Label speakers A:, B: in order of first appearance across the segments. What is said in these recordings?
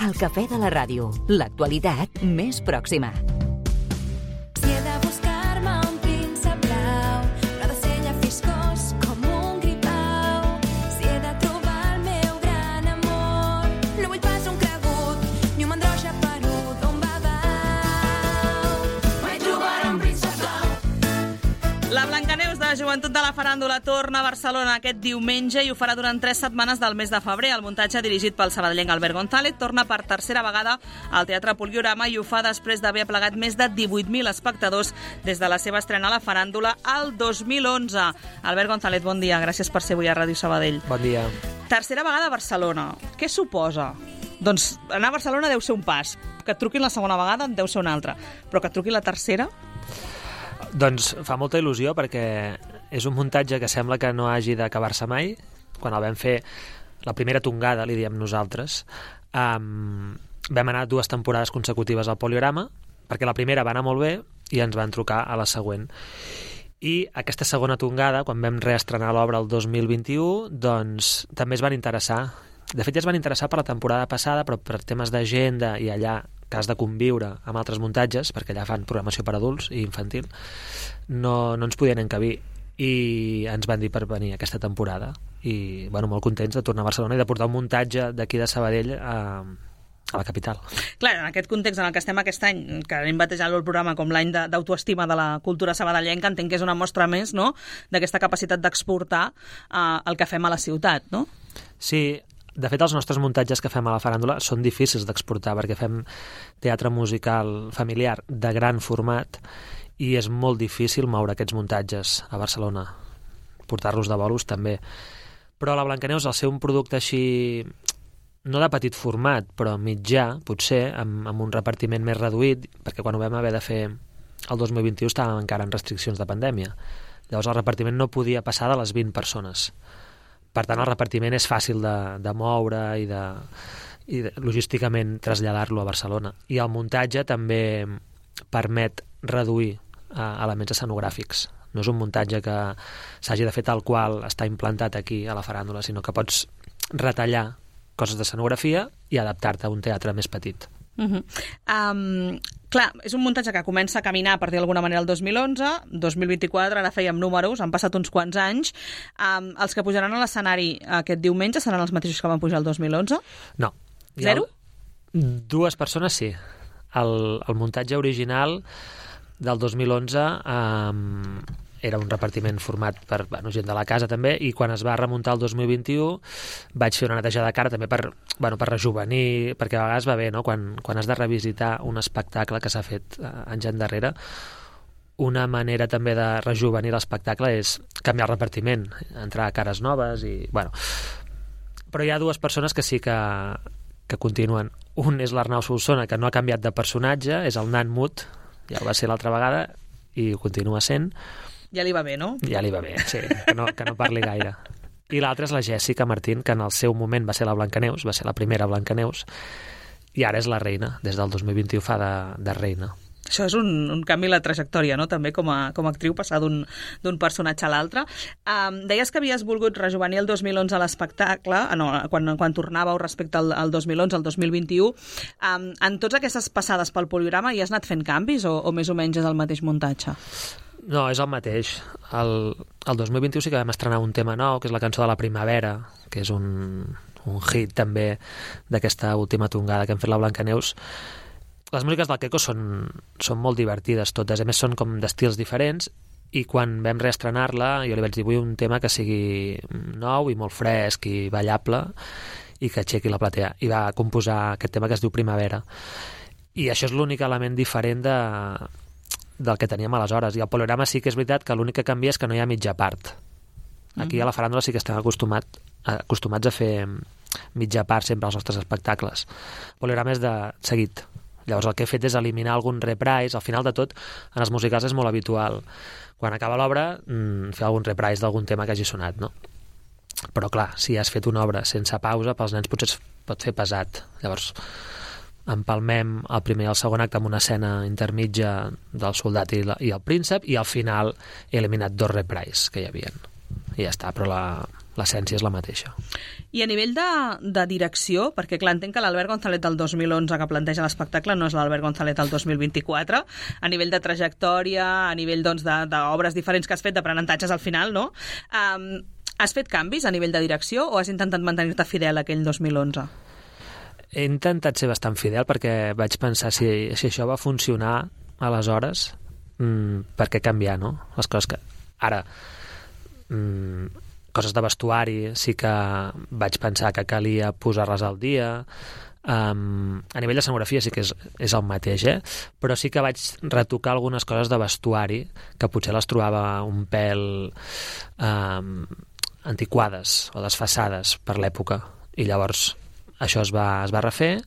A: El cafè de la ràdio, l'actualitat més pròxima.
B: Si he de buscar-me un príncep blau, no ha de ser llafiscós com un gripau. Si he de trobar el meu gran amor, no vull pas un cregut ni un mandró xaperut d'un babau. Mai trobaré un príncep blau.
C: La Blancaneus de Joventut de la Faràndula torna a Barcelona aquest diumenge i ho farà durant 3 setmanes del mes de febrer. El muntatge, dirigit pel sabadellenc Albert González, torna per tercera vegada al Teatre Poliorama i ho fa després d'haver aplegat més de 18.000 espectadors des de la seva estrena a la Faràndula al 2011. Albert González, bon dia. Gràcies per ser avui a Ràdio Sabadell.
D: Bon dia.
C: Tercera vegada a Barcelona. Què suposa? Doncs anar a Barcelona deu ser un pas. Que et truquin la segona vegada deu ser una altra. Però que et truquin la tercera...
D: Doncs fa molta il·lusió perquè és un muntatge que sembla que no hagi d'acabar-se mai. Quan el vam fer, la primera tongada, li diem nosaltres, vam anar 2 temporades consecutives al Poliorama, perquè la primera va anar molt bé i ens van trucar a la següent. I aquesta segona tongada, quan vam reestrenar l'obra el 2021, doncs també es van interessar. De fet, ja es van interessar per la temporada passada, però per temes d'agenda i allà que has de conviure amb altres muntatges, perquè allà fan programació per adults i infantil, no ens podien encabir i ens van dir per venir aquesta temporada. I bueno, molt contents de tornar a Barcelona i de portar un muntatge d'aquí de Sabadell a la capital.
C: Clar, en aquest context en el que estem aquest any, que hem batejat el programa com l'any d'autoestima de la cultura sabadellenca, entenc que és una mostra més, no?, d'aquesta capacitat d'exportar el que fem a la ciutat, no?
D: Sí. De fet, els nostres muntatges que fem a la Faràndula són difícils d'exportar perquè fem teatre musical familiar de gran format i és molt difícil moure aquests muntatges a Barcelona, portar-los de bolos també. Però la Blancaneus, al ser un producte així, no de petit format, però mitjà, potser, amb un repartiment més reduït, perquè quan ho vam haver de fer el 2021 estàvem encara en restriccions de pandèmia. Llavors el repartiment no podia passar de les 20 persones. Per tant, el repartiment és fàcil de moure i logísticament traslladar-lo a Barcelona. I el muntatge també permet reduir elements escenogràfics. No és un muntatge que s'hagi de fer tal qual està implantat aquí a la Faràndula, sinó que pots retallar coses d'escenografia i adaptar-te a un teatre més petit.
C: Clar, és un muntatge que comença a caminar a partir d'alguna manera el 2011, 2024, ara fèiem números, han passat uns quants anys. Els que pujaran a l'escenari aquest diumenge seran els mateixos que van pujar el 2011?
D: No.
C: 0?
D: 2 persones sí. El muntatge original del 2011 era un repartiment format per gent de la casa també, i quan es va remuntar el 2021 vaig fer una netejada de cara també per rejuvenir, perquè a vegades va bé, no? Quan has de revisitar un espectacle que s'ha fet anys endarrere, una manera també de rejuvenir l'espectacle és canviar el repartiment, entrar a cares noves i... Però hi ha 2 persones que sí que continuen. Un és l'Arnau Solsona, que no ha canviat de personatge, és el nan mut, ja ho va ser l'altra vegada i ho continua sent.
C: Ja li va bé, no?
D: Ja li va bé, sí, que no parli gaire. I l'altra és la Jèssica Martín, que en el seu moment va ser la Blancaneus, va ser la primera Blancaneus, i ara és la reina, des del 2021 fa de reina.
C: Això és un canvi en la trajectòria, no?, també com a actriu, passar d'un personatge a l'altre. Deies que havies volgut rejuvenir el 2011 a l'espectacle, quan tornàveu respecte al 2011, al 2021. En totes aquestes passades pel Poliorama hi has anat fent canvis o més o menys és el mateix muntatge?
D: No, és el mateix. El 2021 sí que vam estrenar un tema nou, que és la cançó de la primavera, que és un hit també d'aquesta última tongada que hem fet la Blancaneus. Les músiques del Queco són molt divertides totes, a més són com d'estils diferents, i quan vam reestrenar-la jo li vaig dir vull un tema que sigui nou i molt fresc i ballable i que aixequi la platea, i va composar aquest tema que es diu Primavera, i això és l'únic element diferent del que teníem aleshores. I al Poliorama sí que és veritat que l'únic que canvia és que no hi ha mitja part. Aquí a la Faràndula sí que estem acostumats a fer mitja part sempre als nostres espectacles. El Poliorama és de seguit. Llavors el que he fet és eliminar algun reprise. Al final de tot, en els musicals és molt habitual, quan acaba l'obra, fer algun reprise d'algun tema que hagi sonat, no? Però clar, si has fet una obra sense pausa, pels nens potser es pot fer pesat. Llavors empalmem el primer i el segon acte amb una escena intermitja del soldat i el príncep, i al final he eliminat 2 reprises que hi havia. i ja està, però l'essència és la mateixa.
C: I a nivell de direcció, perquè clar, entenc que l'Albert González del 2011 que planteja l'espectacle no és l'Albert González del 2024, a nivell de trajectòria, a nivell d'obres diferents que has fet, d'aprenentatges al final, no? Has fet canvis a nivell de direcció o has intentat mantenir-te fidel a aquell 2011?
D: He intentat ser bastant fidel perquè vaig pensar si això va funcionar aleshores, per què canviar, no? Les coses que... Ara, coses de vestuari sí que vaig pensar que calia posar-les al dia. A nivell d'escenografia sí que és el mateix, però sí que vaig retocar algunes coses de vestuari que potser les trobava un pèl antiquades o desfasades per l'època, i llavors això es va refer.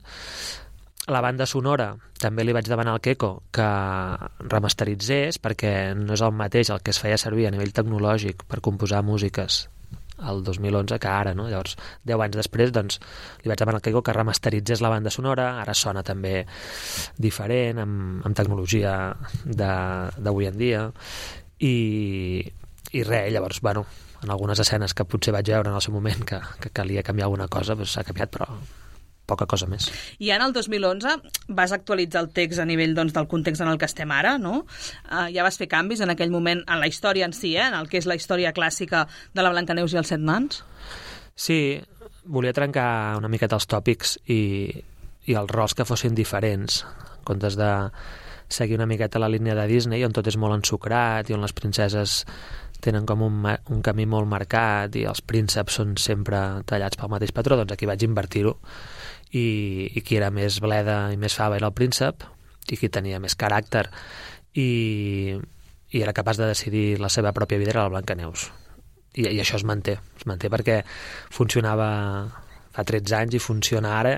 D: La banda sonora també li vaig demanar al Queco que remasteritzés, perquè no és el mateix el que es feia servir a nivell tecnològic per composar músiques el 2011 que ara, no? Llavors, 10 anys després, doncs, li vaig demanar al Queco que remasteritzés la banda sonora. Ara sona també diferent, amb tecnologia d'avui en dia, i res, llavors, bueno, en algunes escenes que potser vaig veure en el seu moment que calia canviar alguna cosa, doncs s'ha canviat, però poca cosa més.
C: I en el 2011 vas actualitzar el text a nivell del context en el que estem ara, no? Ja vas fer canvis en aquell moment en la història en si, en el que és la història clàssica de la Blancaneus i els 7 nans?
D: Sí, volia trencar una miqueta els tòpics i els rols que fossin diferents, en comptes de seguir una miqueta la línia de Disney, on tot és molt ensucrat i on les princeses tenen com un camí molt marcat i els prínceps són sempre tallats pel mateix patró. Doncs aquí vaig invertir-ho, i qui era més bleda i més fava era el príncep, i qui tenia més caràcter i era capaç de decidir la seva pròpia vida era la Blancaneus. I això es manté perquè funcionava fa 13 anys i funciona ara.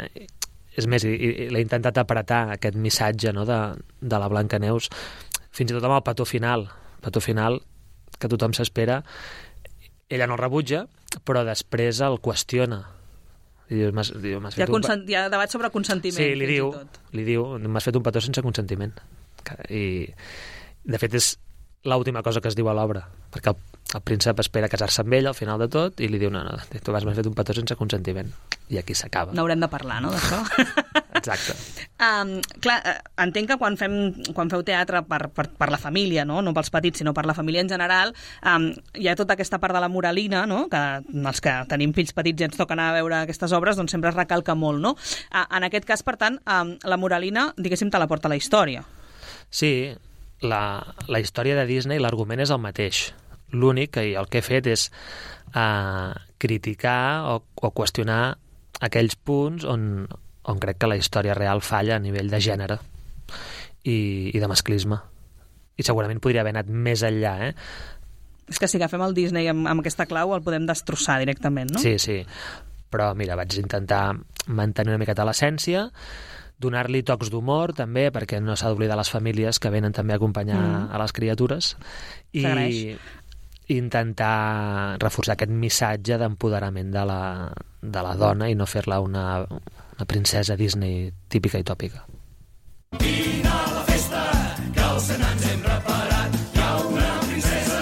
D: És més, i l'he intentat apretar aquest missatge, no, de la Blancaneus, fins i tot amb el petó final que tothom s'espera. Ella no el rebutja, però després el qüestiona. I diu,
C: hi ha debat sobre consentiment.
D: Sí, li diu, m'has fet un petó sense consentiment. I, de fet, és l'última cosa que es diu a l'obra, perquè el príncep espera casar-se amb ell al final de tot i li diu, no, tu m'has fet un petó sense consentiment. I aquí s'acaba.
C: N'haurem de parlar, no, d'això?
D: Exacte.
C: Clar, entenc que quan feu teatre per la família, no pels petits, sinó per la família en general, hi ha tota aquesta part de la moralina, no? Que els que tenim fills petits i ens toca anar a veure aquestes obres, doncs sempre es recalca molt, no? En aquest cas, per tant, la moralina, diguéssim, te la porta la història.
D: Sí, la història de Disney, l'argument és el mateix. L'únic que el que he fet és criticar o qüestionar aquells punts on crec que la història real falla a nivell de gènere i de masclisme. I segurament podria haver anat més enllà,
C: És que si agafem el Disney amb aquesta clau el podem destrossar directament, no?
D: Sí. Però mira, vaig intentar mantenir una miqueta l'essència, donar-li tocs d'humor també, perquè no s'ha d'oblidar les famílies que venen també a acompanyar a les criatures, i intentar reforçar aquest missatge d'empoderament de la dona i no fer-la una princesa Disney típica i tòpica.
E: Vine a la festa, que els nans hem reparat. Hi ha una princesa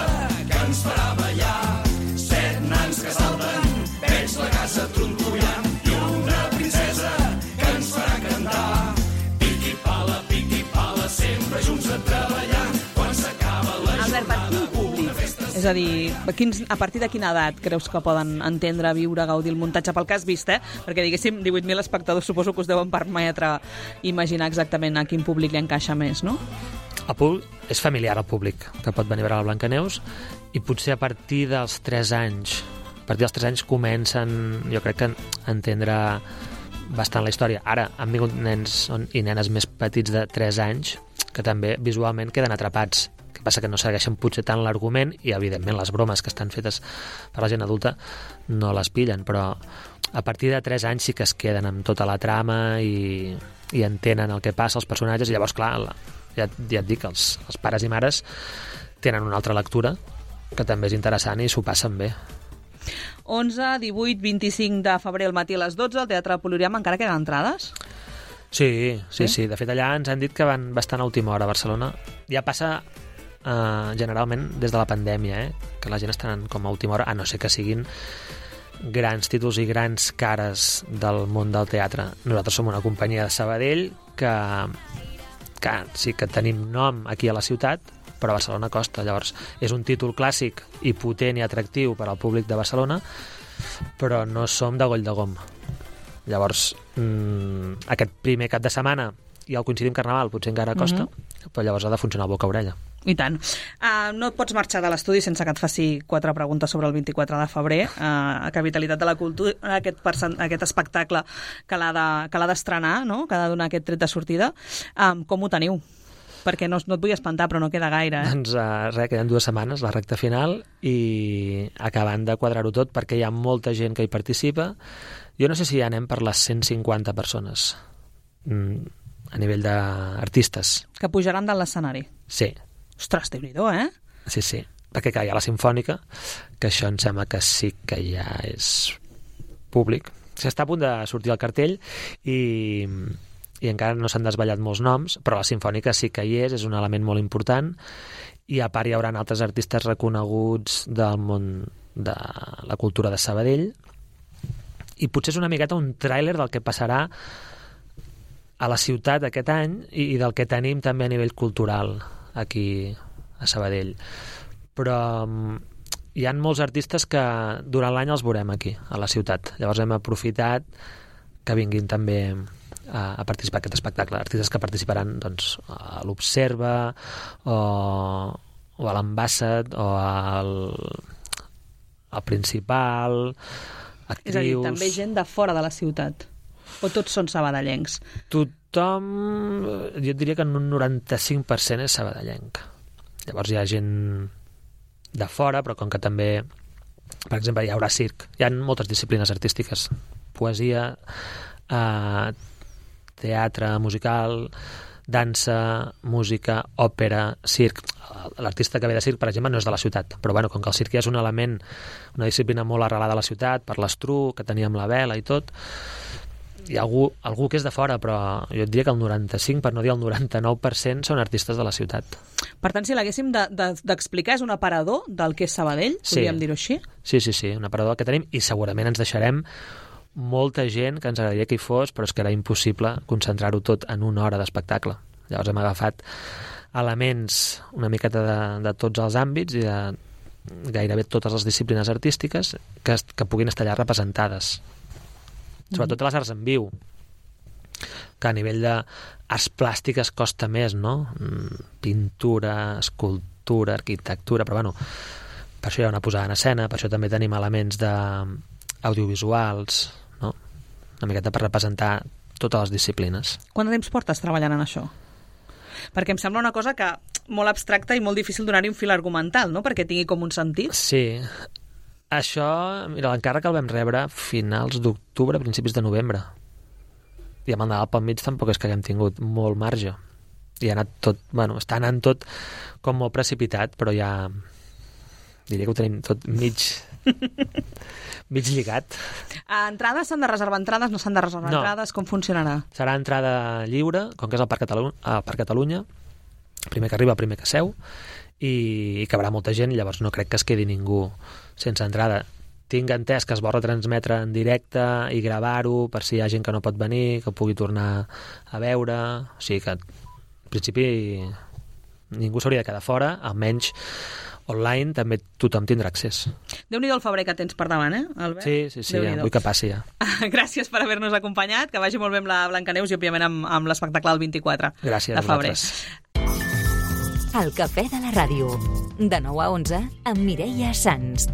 E: que ens farà ballar. 7 nans que salten, veig la casa trontollant. I una princesa que ens farà cantar. Piqui pala, sempre junts a treballar. Quan s'acaba la jornada, una festa...
C: És a dir, a partir de quina edat creus que poden entendre, viure, gaudir el muntatge pel que has vist, Perquè, diguéssim, 18.000 espectadors suposo que us deuen permetre imaginar exactament a quin públic li encaixa més, no?
D: És familiar el públic que pot venir a veure la Blancaneus, i potser a partir dels 3 anys comencen, jo crec, a entendre bastant la història. Ara han vingut nens i nenes més petits de 3 anys que també visualment queden atrapats. El que passa que no segueixen potser tant l'argument i, evidentment, les bromes que estan fetes per la gent adulta no les pillen, però a partir de 3 anys sí que es queden amb tota la trama i entenen el que passa als personatges, i llavors, clar, ja et dic, els pares i mares tenen una altra lectura que també és interessant i s'ho passen bé.
C: 11, 18, 25 de febrer al matí a les 12 al Teatre Poloriama. Encara queden entrades?
D: Sí. De fet, allà ens han dit que van bastant a última hora a Barcelona. Ja passa generalment des de la pandèmia, que la gent està anant com a última hora, a no ser que siguin grans títols i grans cares del món del teatre. Nosaltres som una companyia de Sabadell que sí que tenim nom aquí a la ciutat, però a Barcelona costa. Llavors, és un títol clàssic i potent i atractiu per al públic de Barcelona, però no som de Goll de Gom. Llavors, aquest primer cap de setmana i el coincidim Carnaval potser encara costa, però llavors ha de funcionar el boca-orella.
C: I tant. No et pots marxar de l'estudi sense que et faci 4 preguntes sobre el 24 de febrer, a Capitalitat de la Cultura, aquest espectacle que l'ha d'estrenar, no? Que ha de donar aquest tret de sortida. Com ho teniu? Perquè no et vull espantar, però no queda gaire.
D: Doncs res, queden 2 setmanes, la recta final, i acabant de quadrar-ho tot perquè hi ha molta gent que hi participa. Jo no sé si ja anem per les 150 persones a nivell d'artistes.
C: Que pujaran de l'escenari.
D: Sí.
C: Ostres, Déu-n'hi-do,
D: Sí. Perquè clar, hi ha la Simfònica, que això em sembla que sí que ja és públic. S'està a punt de sortir el cartell i encara no s'han desvetllat molts noms, però la Simfònica sí que hi és un element molt important, i a part hi haurà altres artistes reconeguts del món de la cultura de Sabadell, i potser és una miqueta un tràiler del que passarà a la ciutat aquest any i del que tenim també a nivell cultural aquí a Sabadell. Però hi ha molts artistes que durant l'any els veurem aquí, a la ciutat. Llavors hem aprofitat que vinguin també a participar en aquest espectacle. Artistes que participaran doncs, a l'Observa o a l'Ambassad o al Principal, actrius...
C: És a dir, també gent de fora de la ciutat. O tots són sabadellencs?
D: Tothom, jo diria que en un 95% és sabadellenc. Llavors hi ha gent de fora, però com que també, per exemple, hi haurà circ. Hi ha moltes disciplines artístiques. Poesia, teatre musical, dansa, música, òpera, circ. L'artista que ve de circ, per exemple, no és de la ciutat, però bueno, com que el circ ja és un element, una disciplina molt arrelada a la ciutat, per l'Estruc, que teníem la vela i tot, hi ha algú que és de fora, però jo et diria que el 95, per no dir el 99%, són artistes de la ciutat.
C: Per tant, si l'haguéssim d'explicar, és un aparador del que és Sabadell, podríem dir-ho així?
D: Sí, un aparador que tenim, i segurament ens deixarem molta gent que ens agradaria que hi fos, però és que era impossible concentrar-ho tot en una hora d'espectacle. Llavors hem agafat elements una miqueta de tots els àmbits i de gairebé totes les disciplines artístiques que puguin estar allà representades. Sobretot les arts en viu, que a nivell d'arts plàstiques costa més, no? Pintura, escultura, arquitectura, però bueno, per això hi ha una posada en escena, per això també tenim elements audiovisuals, no? Una miqueta per representar totes les disciplines.
C: Quant de temps portes treballant en això? Perquè em sembla una cosa que molt abstracta i molt difícil donar-hi un fil argumental, no? Perquè tingui com un sentit.
D: Sí. Això, mira, l'encàrrec el vam rebre finals d'octubre, principis de novembre. I amb el Nadal pel mig tampoc és que haguem tingut molt marge. I ha anat tot, bueno, està anant tot com molt precipitat, però ja diria que ho tenim tot mig lligat.
C: Entrades s'han de reservar entrades, no s'han de reservar entrades? Com funcionarà?
D: Serà entrada lliure, com que és al Parc Catalunya, primer que arriba, primer que seu, i cabrà molta gent, llavors no crec que es quedi ningú sense entrada. Tinc entès que es vol retransmetre en directe i gravar-ho per si hi ha gent que no pot venir, que pugui tornar a veure. O sigui que, en principi, ningú s'hauria de quedar fora, almenys online també tothom tindrà accés.
C: Déu-n'hi-do el febrer que tens per davant, Albert?
D: Sí, ja, vull que passi ja.
C: Gràcies per haver-nos acompanyat, que vagi molt bé amb la Blancaneus i, òbviament, amb l'espectacle del 24
D: Gràcies
C: de febrer.
A: El Cafè de la Ràdio, de 9 a 11, amb Mireia Sans.